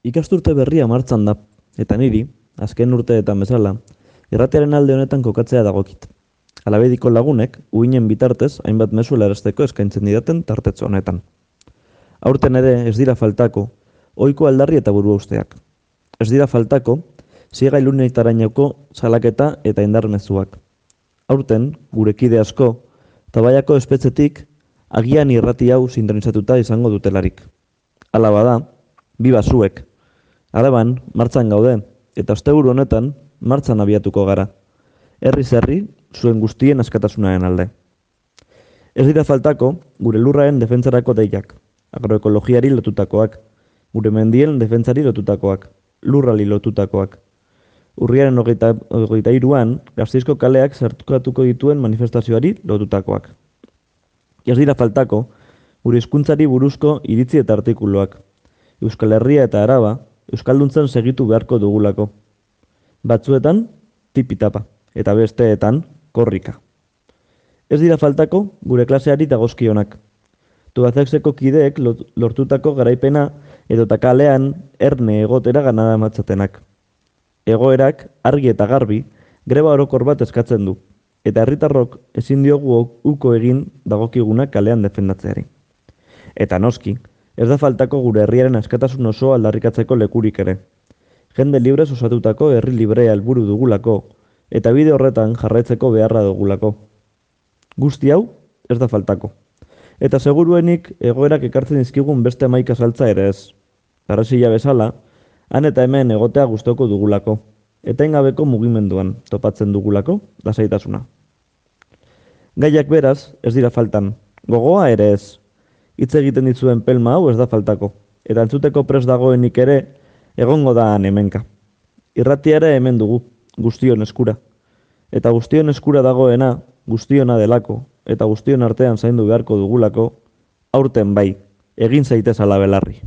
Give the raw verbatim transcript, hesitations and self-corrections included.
Ikasturte berria martxan da, eta niri, azken urteetan bezala, irratiaren alde honetan kokatzea dagokit. Alabediko lagunek, uinen bitartez, hainbat mezu helarazteko eskaintzen didaten tartetxo honetan. Aurten ere ez dira faltako, ohiko aldarri eta burua usteak. Ez dira faltako, ziega ilunitarainoko salaketa eta indar mezuak. Aurten, gure kide asko, tabaiako espetxetik, agian irrati hau sintonizatuta izango dutelarik. Hala bada, bi basuek. Araban, martxan gaude, eta asteburu honetan, martxan abiatuko gara. Herriz herri, zuen guztien askatasunaren alde. Ez dira faltako, gure lurraren defentsarako deiak, agroekologiari lotutakoak, gure mendien defentsari lotutakoak, lurrali lotutakoak. Urriaren hogeita, hogeita iruan, Gasteizko kaleak sartukatuko dituen manifestazioari lotutakoak. Ez dira faltako, gure hizkuntzari buruzko iritzi eta artikuluak, Euskal Herria eta Araba, Euskalduntzen segitu beharko dugulako. Batzuetan, tipitapa, eta besteetan, korrika. Ez dira faltako, gure klaseari dagozkionak. Tubazexeko kideek lortutako garaipena edota kalean erne egotera ganada matzatenak. Egoerak, argi eta garbi, greba orokor bat eskatzen du, eta herritarrok ezin diogu uko egin dagokiguna kalean defendatzeari. Eta noski, ez da faltako gure herriaren askatasun oso aldarrikatzeko lekurik ere. Jende librez osatutako herri librea helburu dugulako, eta bide horretan jarraitzeko beharra dugulako. Guzti hau, ez da faltako. Eta seguruenik egoerak ekartzen dizkigun beste hamaika saltza ere ez. Arrazila bezala, han eta hemen egotea gustoko dugulako, etengabeko mugimenduan topatzen dugulako lasaitasuna. Gaiak beraz, ez dira faltan, gogoa ere ez. Hitz egiten ditzuen pelma hau ez da faltako, eta entzuteko prest dagoenik ere egongo da han hemenka. Irratia ere hemen dugu, guztion eskura. Eta guztion eskura dagoena, guztiona delako, eta guztion artean zaindu beharko dugulako, aurten bai, egin zaitez ala belarri.